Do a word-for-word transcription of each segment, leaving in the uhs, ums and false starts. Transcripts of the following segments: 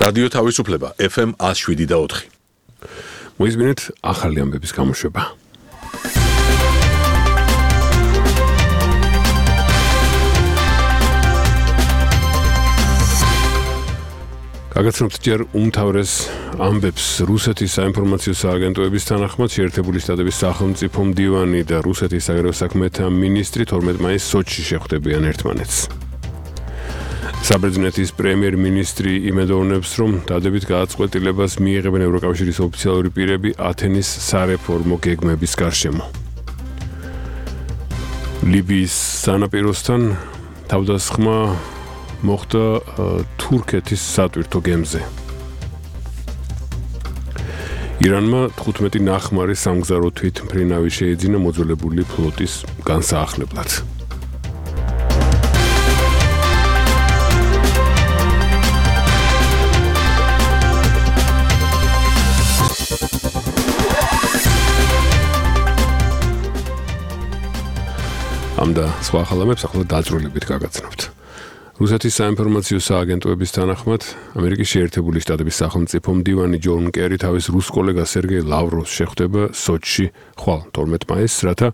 რადიო თავისუფლება F M one oh seven და four. მოისმინეთ ახალი ამბების გამოშვება. გაგაცნობთ ჯერ უმთავრეს ამბებს რუსეთის საინფორმაციო სააგენტოების თანახმად შეერთებული შტატების სახელმწიფო მდივანი და რუსეთის საგარეო საქმეთა მინისტრი თორმეტ მაისს სოჩში შეხვდებიან ერთმანეთს. საბერძნეთის პრემიერ-მინისტრი იმედოვნებს, რომ დადებით გადაწყვეტილებას მიიღებენ ევროკავშირის ოფიციალური პირები ათენის სარეფორმო გეგმების გარშემო. ლიბიის სანაპიროსთან თავდასხმა მოხდა თურქეთის სატვირთო გემზე. ირანმა თხუთმეტი ნახმარი სამგზავრო თვითმფრინავი შეიძინა მოძველებული ფლოტის განსაახლებლად. ამ და სხვა ხალხებს ახლა დაწვრილებით გაგაცნობთ. რუსეთის საინფორმაციო სააგენტოების თანახმად ამერიკის შეერთებული შტატების სახელმწიფო მდივანი ჯონ კერი თავის რუს კოლეგას სერგეი ლავროვს შეხვდება სოჩში ხვალ თორმეტ მაისს, რათა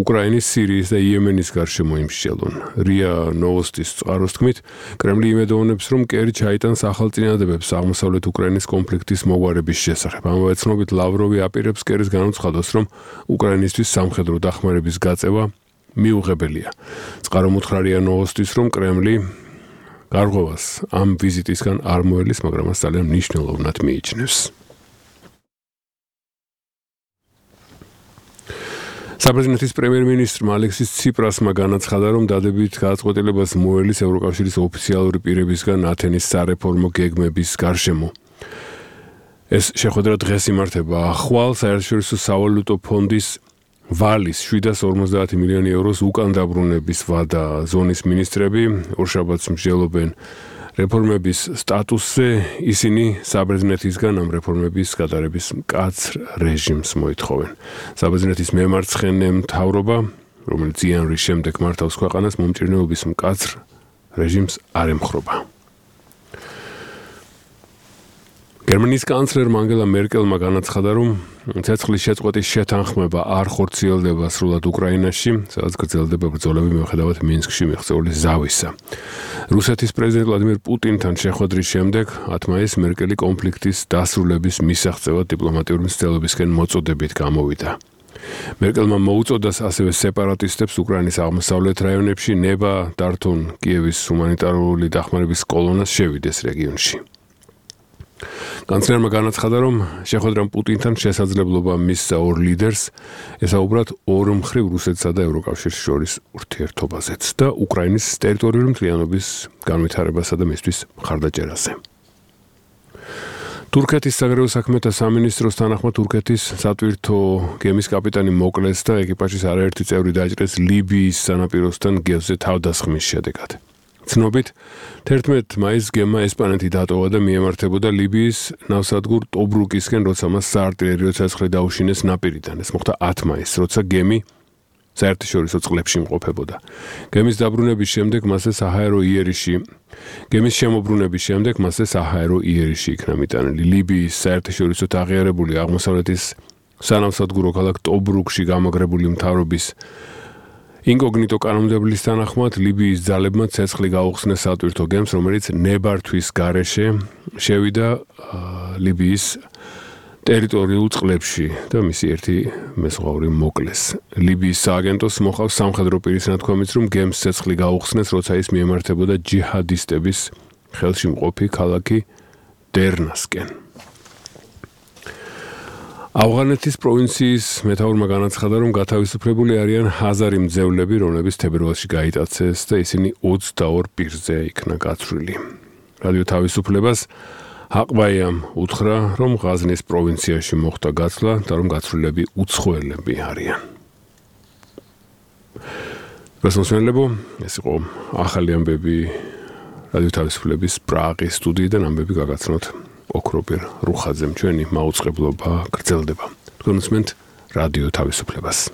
უკრაინის, სირიის და იემენის გარშემო იმსჯელონ. რია ნოვოსტის წყაროს თქმით, კრემლი იმედოვნებს, რომ კერი ჩაიტანს ახალ წინადადებებს აღმოსავლეთ უკრაინის კონფლიქტის მოგვარების შესახებ. ამავე ცნობით ლავროვი აპირებს კერის განუცხადოს, რომ უკრაინისთვის სამხედრო დახმარების გაწევა მიუღებელია. წყარო უთხრა რია ნოვოსტის, რომ კრემლი გარღვევას ამ ვიზიტისგან არ მოელის, მაგრამ მას ძალიან მნიშვნელოვნად მიიჩნევს. საბერძნეთის პრემიერ-მინისტრმა ალექსის ციპრასმა განაცხადა, რომ დადებით გადაწყვეტილებას მოელის ევროკავშირის ოფიციალური პირებისგან ათენის სარეფორმო გეგმების გარშემო. ეს შეხვედრა დღეს იმართება ახვალ საერთაშორისო სავალუტო ფონდის ვალის შვიდას ორმოცდაათი მილიონი ევროს უკან დაბრუნების ვადა ზონის მინისტრები ორშაბათს მსჯელობენ რეფორმების სტატუსზე. ისინი საბერძნეთისგან ამ რეფორმების გატარების მკაცრ რეჟიმს მოითხოვენ. საბერძნეთის მემარცხენე მთავრობა, რომელიც იანვრის შემდეგ მართავს ქვეყანას, მომჭირნეობის მკაცრ რეჟიმს არ ემხრობა. გერმანიის კანცლერმა ანგელა მერკელმა განაცხადა, რომ ცეცხლის შეწყვეტის შეთანხმება არ ხორციელდება სრულად უკრაინაში, სადაც გრძელდება ბრძოლები მიუხედავად მინსკში მიღწეული ზავისა. რუსეთის პრეზიდენტ ვლადიმირ პუტინთან შეხვედრის შემდეგ ათ მაისს მერკელი კონფლიქტის დასრულების მისაღწევად დიპლომატიური მცდელობისკენ მოწოდებით გამოვიდა. მერკელმა მოუწოდას ასევე სეპარატისტებს უკრაინის აღმოსავლეთ რაიონებში ნება დართონ კიევის ჰუმანიტარული დახმარების კოლონას შევიდეს რეგიონში. კანცლერმა განაცხადა, რომ შეხვედრამ პუტინთან შესაძლებლობა მისცა ორ ლიდერს ესაუბრათ ორმხრივ რუსეთსა და ევროკავშირის შორის ურთიერთობაზეც და უკრაინის ტერიტორიული მთლიანობის განვითარებასა და მისთვის მხარდაჭერაზე. თურქეთის საგარეო საქმეთა სამინისტროს თანახმად თურქეთის სატვირთო გემის კაპიტანი მოკლეს და ეკიპაჟის არაერთი წევრი დაჭრეს ლიბიის სანაპიროსთან გემზე თავდასხმის შედეგად. ცნობით, თერთმეტ მაისს გემმა ესპანეთი დატოვა და მიემართებოდა ლიბიის ნავსადგურ ტობრუკისკენ, როცა მას საარტილერიო ცეცხლი დაუშინეს ნაპირიდან. ეს მოხდა ათ მაისს, როცა გემი საერთაშორისო წყლებში იმყოფებოდა. გემის დაბრუნების შემდეგ მასზე საჰაერო იერიში, გემის შემოbrunების შემდეგ მასზე საჰაერო იერიში იქნა მიტანილი. ლიბიის საერთაშორისო აღიარებული აღმოსავლეთის სანავსადგურო ქალაქ ტობრუკში გამაგრებული მთავრობის ინკოგნიტო კანონმდებლის თანახმად ლიბიის ძალებმა ცეცხლი გაუხსნეს სატვირთო გემს, რომელიც ნებართვის გარეშე შევიდა ლიბიის ტერიტორიულ წყლებში და მისი ერთი მეზღვაური მოკლეს. ლიბიის სააგენტოს მოყავს სამხედრო პირის ნათქვამიც, რომ გემს ცეცხლი გაუხსნეს, როცა ის მიემართებოდა ჯიჰადისტების ხელში მყოფი ქალაქი დერნასკენ. ავღანეთის პროვინციის მეთაურმა განაცხადა, რომ გათავისუფლებული არიან ჰაზარი მძევლები, რომლებიც თებერვალში გაიტაცეს და ისინი ოცდაორ პირზე იქნა გაცვლილი. რადიო თავისუფლებას ჰაყბაიამ უთხრა, რომ ღაზნის პროვინციაში მოხდა გაცვლა და რომ გაცვლილები უცხოელები არიან. გასმოსმენლებო, ეს იყო ახალი ამბები რადიო თავისუფლების პრაღის სტუდიიდან. ამბები გაგაცნოთ ოქროპირ რუხაძემ. ჩვენი მაუწყებლობა გრძელდება. თქვენ უსმენთ რადიო თავისუფლებას.